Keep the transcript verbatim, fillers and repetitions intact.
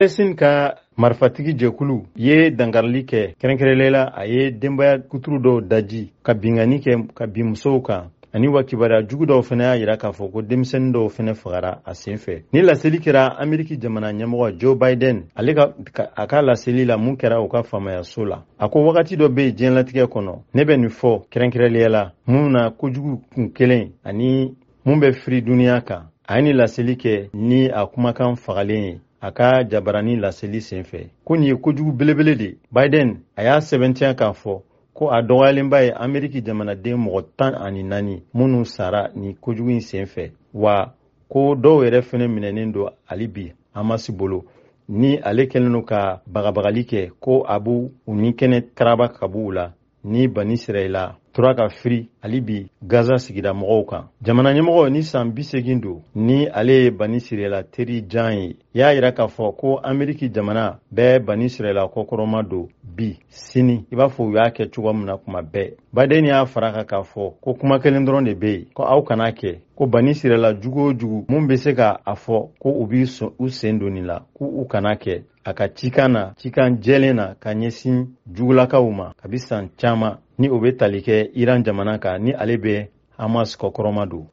Palestine ka marifatigi jɛkulu ye dankarili kɛ, kɛrɛnkɛrɛnnenya la, a ye denbaya kuturu dɔw daji ka binkanni kɛ ka bin musow kan, ani wa kibaruya jugu dɔw fana y'a yira k'a fɔ ko denmisɛnnin dɔw fana fagara a sen fɛ. Ni laseli kɛra Ameriki jamana ɲɛmɔgɔ Joe Biden, ale ka a ka laseli la mun kɛra u ka faamayaso la, a ko wagati dɔ bɛ yen diɲɛlatigɛ kɔnɔ, ne bɛ nin fɔ kɛrɛnkɛrɛnnenya la mun na kojugu kun kelen ani mun bɛ firi duniya kan. A ye nin laseli kɛ ni a kumakan fagalen ye a ka jabarani laseli senfɛ ko nin ye kojugu belebele de. Biden a y'a sɛbɛntiya k'a fɔ ko a dɔgɔyalenba ye Ameriki jamanaden mɔgɔ tan ani naani minnu sara ni kojugu in senfɛ, wa ko dɔw yɛrɛ fɛnɛ minɛnen don hali bi Hamas bolo, ni ale kɛlen don ka bagabagali kɛ ko a b'u u ni kɛnɛ karaba ka b'u la ni Bani Sirayila tora ka firi hali bi Gaza sigida mɔgɔw kan. Jamana ɲɛmɔgɔ ni san bi segin don, ni ale ye Bani Sirayila teri jan ye, y'a yira k'a fɔ ko Ameriki jamana bɛɛ Bani Sirayila kɔkɔrɔma don bi sini, i b'a fɔ u y'a kɛ cogo min na kuma bɛɛ. Biden y'a fara kan k'a fɔ ko kuma kelen dɔrɔn de bɛ yen, ko aw kana kɛ ko Bani Sirayila jugu o jugu mun bɛ se ka a fɔ ko u b'i u sen don nin la, k'u u kana kɛ. A ka cikan na, cikan jɛlen na ka ɲɛsin jugulakaw ma kabi san caman, ni o bɛ tali kɛ Iran jamana kan, ni ale bɛ Hamas kɔkɔrɔma don.